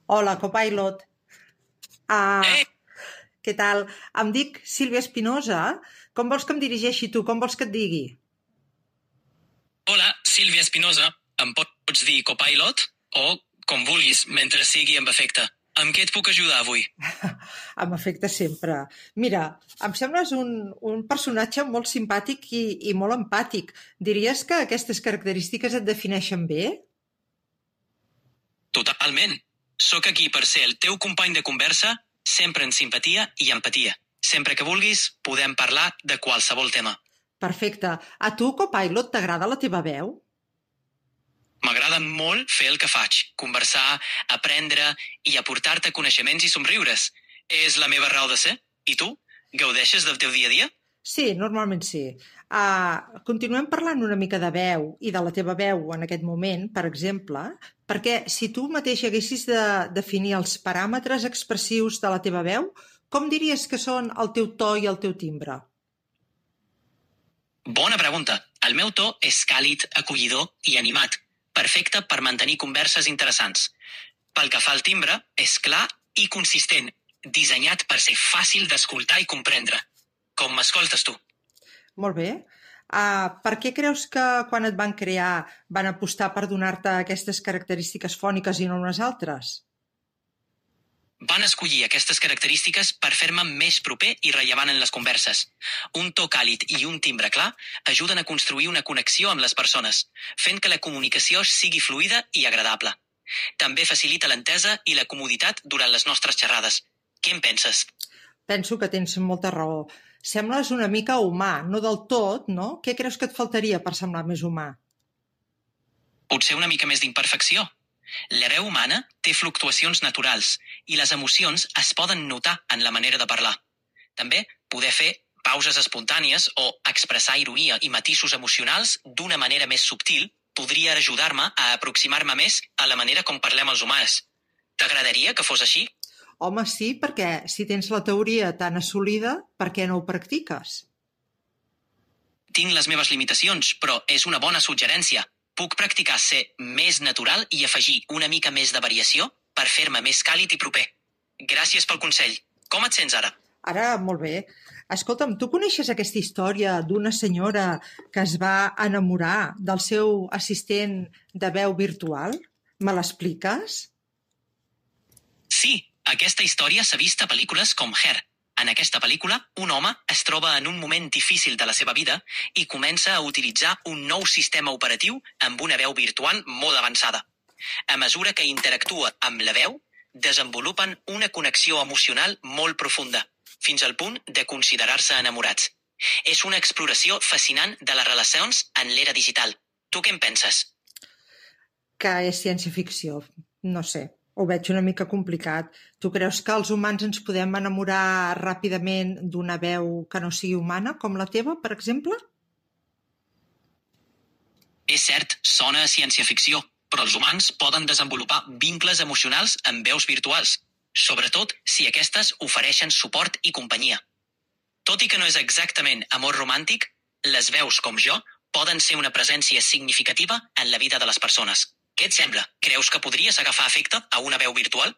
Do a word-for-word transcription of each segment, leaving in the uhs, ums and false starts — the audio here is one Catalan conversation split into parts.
Hola, copilot. Ah, Ei! què tal? Em dic Sílvia Espinosa. Com vols que em dirigeixi tu? Com vols que et digui? Hola, Sílvia Espinosa. Em pots dir copilot? O, com vulguis, mentre sigui amb efecte. Amb què et puc ajudar avui? Amb efecte sempre. Mira, em sembles un, un personatge molt simpàtic i, i molt empàtic. Diries que aquestes característiques et defineixen bé? Totalment. Sóc aquí per ser el teu company de conversa, sempre en simpatia i empatia. Sempre que vulguis, podem parlar de qualsevol tema. Perfecte. A tu, copilot, t'agrada la teva veu? M'agrada molt fer el que faig, conversar, aprendre i aportar-te coneixements i somriures. És la meva raó de ser. I tu? Gaudeixes del teu dia a dia? Sí, normalment sí. Uh, continuem parlant una mica de veu i de la teva veu en aquest moment, per exemple, perquè si tu mateix haguessis de definir els paràmetres expressius de la teva veu, com diries que són el teu to i el teu timbre? Bona pregunta. El meu to és càlid, acollidor i animat. Perfecte per mantenir converses interessants. Pel que fa al timbre, és clar i consistent, dissenyat per ser fàcil d'escoltar i comprendre. Com m'escoltes tu? Molt bé. Uh, per què creus que quan et van crear van apostar per donar-te aquestes característiques fòniques i no unes altres? Van escollir aquestes característiques per fer-me més proper i rellevant en les converses. Un to càlid i un timbre clar ajuden a construir una connexió amb les persones, fent que la comunicació sigui fluida i agradable. També facilita l'entesa i la comoditat durant les nostres xerrades. Què en penses? Penso que tens molta raó. Sembles una mica humà, no del tot, no? Què creus que et faltaria per semblar més humà? Potser una mica més d'imperfecció. La veu humana té fluctuacions naturals i les emocions es poden notar en la manera de parlar. També poder fer pauses espontànies o expressar ironia i matisos emocionals d'una manera més subtil podria ajudar-me a aproximar-me més a la manera com parlem els humans. T'agradaria que fos així? Home, sí, perquè si tens la teoria tan assolida, per què no ho practiques? Tinc les meves limitacions, però és una bona suggerència. Puc practicar ser més natural i afegir una mica més de variació per fer-me més càlid i proper. Gràcies pel consell. Com et sents ara? Ara, molt bé. Escolta'm, tu coneixes aquesta història d'una senyora que es va enamorar del seu assistent de veu virtual? Me l'expliques? Sí, aquesta història s'ha vist a pel·lícules com Her. En aquesta pel·lícula, un home es troba en un moment difícil de la seva vida i comença a utilitzar un nou sistema operatiu amb una veu virtual molt avançada. A mesura que interactua amb la veu, desenvolupen una connexió emocional molt profunda, fins al punt de considerar-se enamorats. És una exploració fascinant de les relacions en l'era digital. Tu què en penses? Que és ciència-ficció. No sé, ho veig una mica complicat. Tu creus que els humans ens podem enamorar ràpidament d'una veu que no sigui humana, com la teva, per exemple? És cert, sona a ciència-ficció, però els humans poden desenvolupar vincles emocionals amb veus virtuals, sobretot si aquestes ofereixen suport i companyia. Tot i que no és exactament amor romàntic, les veus com jo poden ser una presència significativa en la vida de les persones. Què et sembla? Creus que podries agafar efecte a una veu virtual?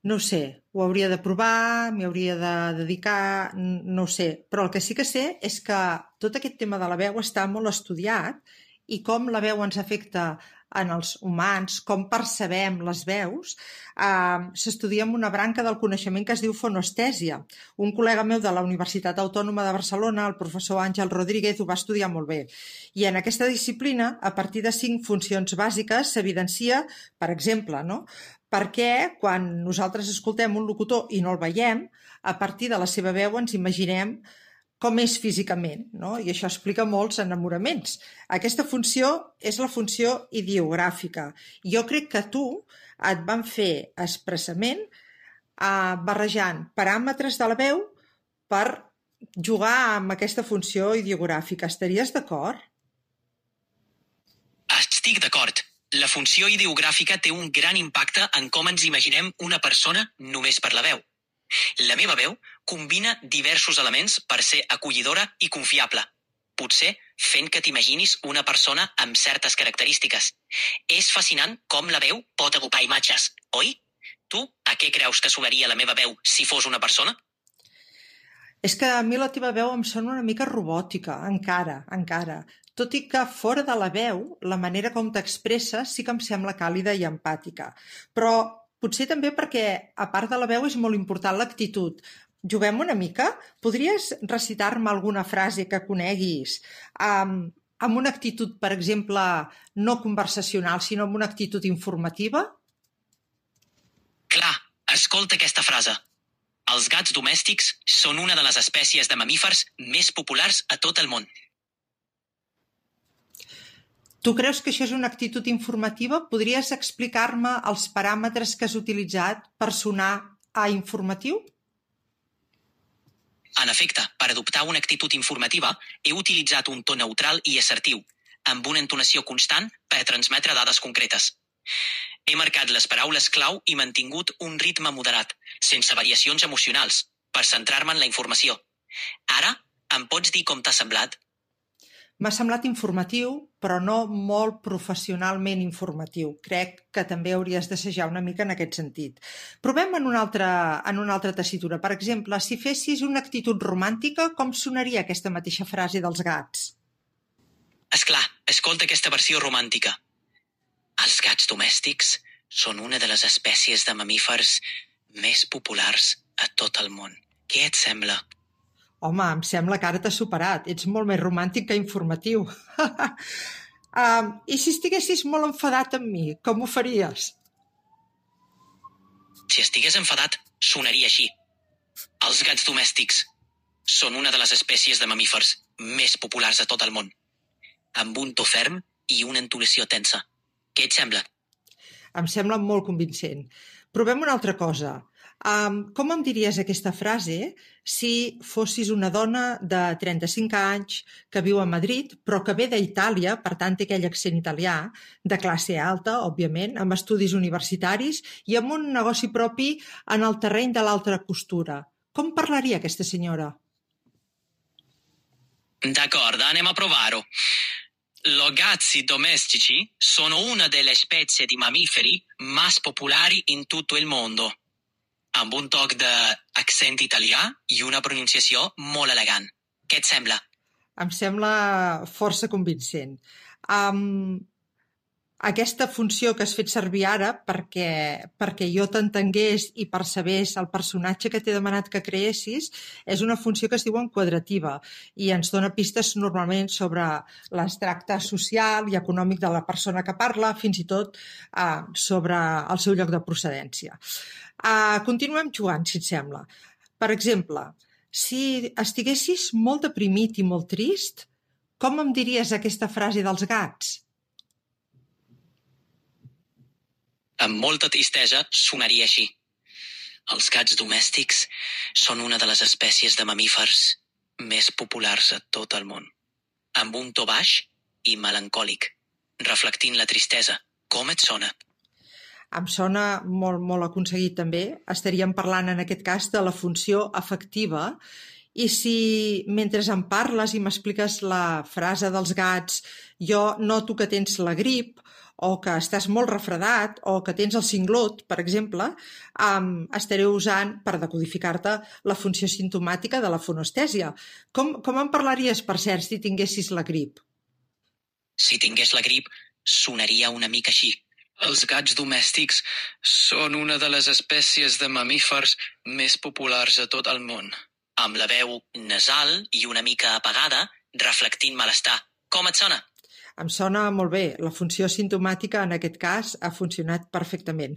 No ho sé, ho hauria de provar, m'hi hauria de dedicar, no ho sé. Però el que sí que sé és que tot aquest tema de la veu està molt estudiat i com la veu ens afecta en els humans, com percebem les veus, eh, s'estudia amb una branca del coneixement que es diu fonestèsia. Un col·lega meu de la Universitat Autònoma de Barcelona, el professor Àngel Rodríguez, ho va estudiar molt bé. I en aquesta disciplina, a partir de cinc funcions bàsiques, s'evidencia, per exemple, no?, perquè quan nosaltres escoltem un locutor i no el veiem, a partir de la seva veu ens imaginem com és físicament, no? I això explica molts enamoraments. Aquesta funció és la funció ideogràfica. Jo crec que tu et van fer expressament eh, barrejant paràmetres de la veu per jugar amb aquesta funció ideogràfica. Estaries d'acord? Estic d'acord. La funció ideogràfica té un gran impacte en com ens imaginem una persona només per la veu. La meva veu combina diversos elements per ser acollidora i confiable, potser fent que t'imaginis una persona amb certes característiques. És fascinant com la veu pot agrupar imatges, oi? Tu, a què creus que sonaria la meva veu si fos una persona? És que a mi la teva veu em sona una mica robòtica, encara, encara. Tot i que fora de la veu, la manera com t'expresses sí que em sembla càlida i empàtica. Però potser també perquè, a part de la veu, és molt important l'actitud. Juguem una mica? Podries recitar-me alguna frase que coneguis um, amb una actitud, per exemple, no conversacional, sinó amb una actitud informativa? Clar, escolta aquesta frase. Els gats domèstics són una de les espècies de mamífers més populars a tot el món. Tu creus que això és una actitud informativa? Podries explicar-me els paràmetres que has utilitzat per sonar a informatiu? En efecte, per adoptar una actitud informativa, he utilitzat un to neutral i assertiu, amb una entonació constant per transmetre dades concretes. He marcat les paraules clau i mantingut un ritme moderat, sense variacions emocionals, per centrar-me en la informació. Ara, em pots dir com t'ha semblat? M'ha semblat informatiu, però no molt professionalment informatiu. Crec que també hauries d'assajar una mica en aquest sentit. Provem en una altra, en una altra tessitura. Per exemple, si fessis una actitud romàntica, com sonaria aquesta mateixa frase dels gats? Esclar, escolta aquesta versió romàntica. Els gats domèstics són una de les espècies de mamífers més populars a tot el món. Què et sembla? Home, em sembla que ara t'has superat. Ets molt més romàntic que informatiu. um, I si estiguessis molt enfadat amb mi, com ho faries? Si estigués enfadat, sonaria així. Els gats domèstics són una de les espècies de mamífers més populars a tot el món, amb un to ferm i una entonació tensa. Què et sembla? Em sembla molt convincent. Provem una altra cosa. Um, com em diries aquesta frase si fossis una dona de trenta-cinc anys que viu a Madrid, però que ve d'Itàlia, per tant té aquell accent italià, de classe alta, òbviament, amb estudis universitaris i amb un negoci propi en el terreny de l'alta costura? Com parlaria aquesta senyora? D'accordo, anem a provar-ho. Los gatti domestici sono una delle specie di mammiferi más popolari in tutto il mondo, amb un toc d'accent italià i una pronunciació molt elegant. Què et sembla? Em sembla força convincent. Um, aquesta funció que has fet servir ara perquè, perquè jo t'entengués i percebés el personatge que t'he demanat que creessis és una funció que es diu enquadrativa i ens dona pistes normalment sobre l'extracte social i econòmic de la persona que parla, fins i tot uh, sobre el seu lloc de procedència. Uh, continuem jugant, si et sembla. Per exemple, si estiguessis molt deprimit i molt trist, com em diries aquesta frase dels gats? Amb molta tristesa sonaria així. Els gats domèstics són una de les espècies de mamífers més populars a tot el món, amb un to baix i melancòlic, reflectint la tristesa. Com et sona? Em sona molt, molt aconseguit també. Estaríem parlant en aquest cas de la funció afectiva i si mentre em parles i m'expliques la frase dels gats jo noto que tens la grip o que estàs molt refredat o que tens el cinglot, per exemple, um, estaré usant per decodificar-te la funció simptomàtica de la fonestèsia. Com, com em parlaries, per cert, si tinguessis la grip? Si tingués la grip, sonaria una mica així. Els gats domèstics són una de les espècies de mamífers més populars a tot el món, amb la veu nasal i una mica apagada, reflectint malestar. Com et sona? Em sona molt bé. La funció simptomàtica, en aquest cas, ha funcionat perfectament.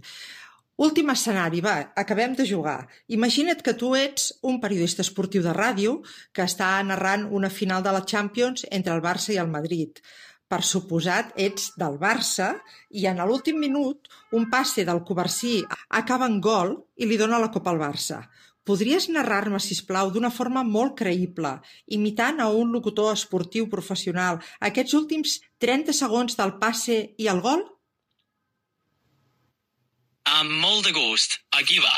Últim escenari, va, acabem de jugar. Imagina't que tu ets un periodista esportiu de ràdio que està narrant una final de la Champions entre el Barça i el Madrid. Per suposat, ets del Barça i en l'últim minut un passe del Covarsí acaba en gol i li dona la copa al Barça. Podries narrar-me, sisplau, d'una forma molt creïble, imitant a un locutor esportiu professional, aquests últims trenta segons del passe i el gol? Amb molt de gust. Aquí va.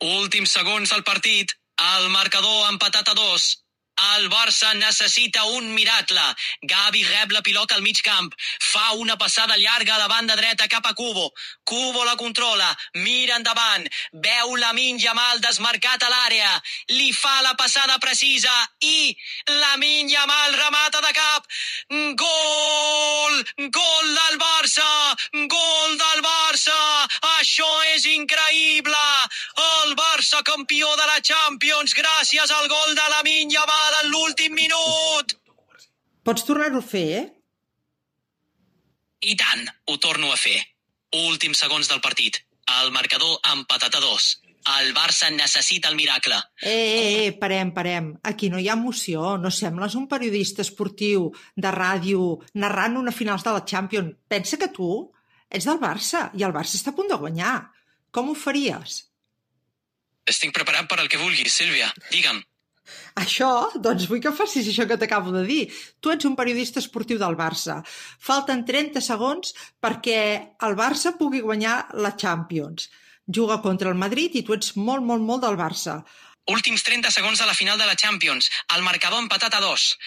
Últims segons del partit. El marcador empatat a dos. El Barça necessita un miracle. Gavi rep la pilota al mig camp. Fa una passada llarga a la banda dreta cap a Kubo. Kubo la controla. Mira endavant. Veu Lamine Yamal desmarcat a l'àrea. Li fa la passada precisa i Lamine Yamal remata de cap. Gol! Gol del Barça! Gol del Barça! Això és increïble! El Barça campió de la Champions gràcies al gol de Lamine Yamal en l'últim minut! Pots tornar-ho a fer, eh? I tant, ho torno a fer. Últims segons del partit. El marcador empatat a dos. El Barça necessita el miracle. Eh, eh, eh, parem, parem. Aquí no hi ha emoció. No sembles un periodista esportiu de ràdio narrant una finals de la Champions. Pensa que tu ets del Barça i el Barça està a punt de guanyar. Com ho faries? Estic preparat per al que vulguis, Sílvia. Digue'm. Això, doncs vull que facis això que t'acabo de dir. Tu ets un periodista esportiu del Barça. Falten trenta segons perquè el Barça pugui guanyar la Champions. Juga contra el Madrid i tu ets molt, molt, molt del Barça. Últims trenta segons de la final de la Champions. El marcador empatat a dos.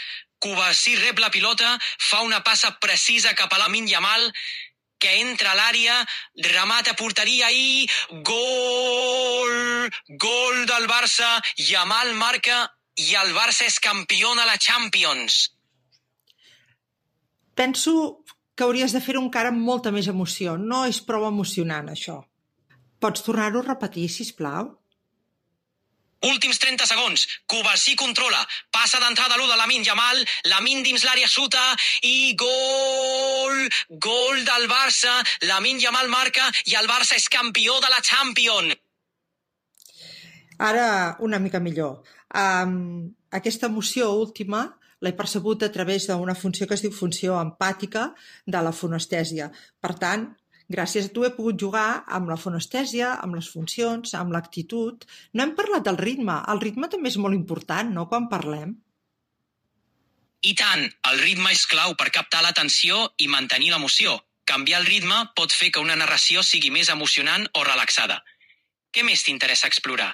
Kovacic rep la pilota, fa una passa precisa cap a Lamine Yamal, que entra a l'àrea, remata a porteria i gol! Gol del Barça, Yamal marca i el Barça és campió de la Champions. Penso que hauries de fer-ho encara amb molta més emoció. No és prou emocionant, això. Pots tornar-ho a repetir, sisplau? Últims trenta segons. Kovacic controla. Passa d'entrada l'u de Lamine Yamal. Lamine dins l'àrea xuta i gol! Gol del Barça. Lamine Yamal marca i el Barça és campió de la Champions. Ara una mica millor. Um, aquesta emoció última l'he percebut a través d'una funció que es diu funció empàtica de la fonestèsia. Per tant, gràcies a tu he pogut jugar amb la fonestèsia, amb les funcions, amb l'actitud. No hem parlat del ritme. El ritme també és molt important, no?, quan parlem. I tant, el ritme és clau per captar l'atenció i mantenir l'emoció. Canviar el ritme pot fer que una narració sigui més emocionant o relaxada. Què més t'interessa explorar?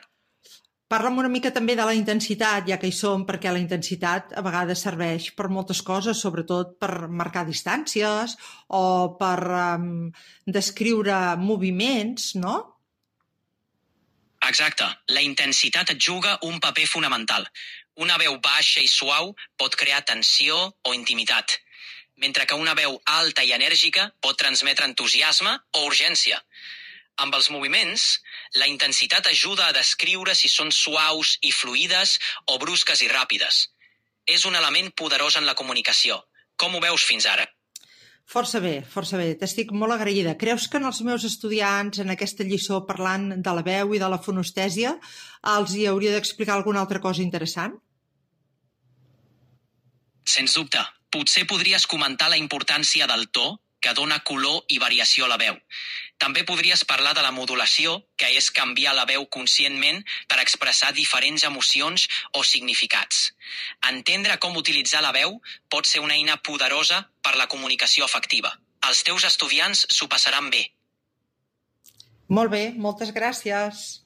Parla'm una mica també de la intensitat, ja que hi som, perquè la intensitat a vegades serveix per moltes coses, sobretot per marcar distàncies o per um, descriure moviments, no? Exacte. La intensitat et juga un paper fonamental. Una veu baixa i suau pot crear tensió o intimitat, mentre que una veu alta i enèrgica pot transmetre entusiasme o urgència. Amb els moviments, la intensitat ajuda a descriure si són suaus i fluides o brusques i ràpides. És un element poderós en la comunicació. Com ho veus fins ara? Força bé, força bé. T'estic molt agraïda. Creus que en els meus estudiants, en aquesta lliçó parlant de la veu i de la fonestèsia, els hi hauria d'explicar alguna altra cosa interessant? Sens dubte. Potser podries comentar la importància del to, que dona color i variació a la veu. També podries parlar de la modulació, que és canviar la veu conscientment per expressar diferents emocions o significats. Entendre com utilitzar la veu pot ser una eina poderosa per la comunicació efectiva. Els teus estudiants s'ho passaran bé. Molt bé, moltes gràcies.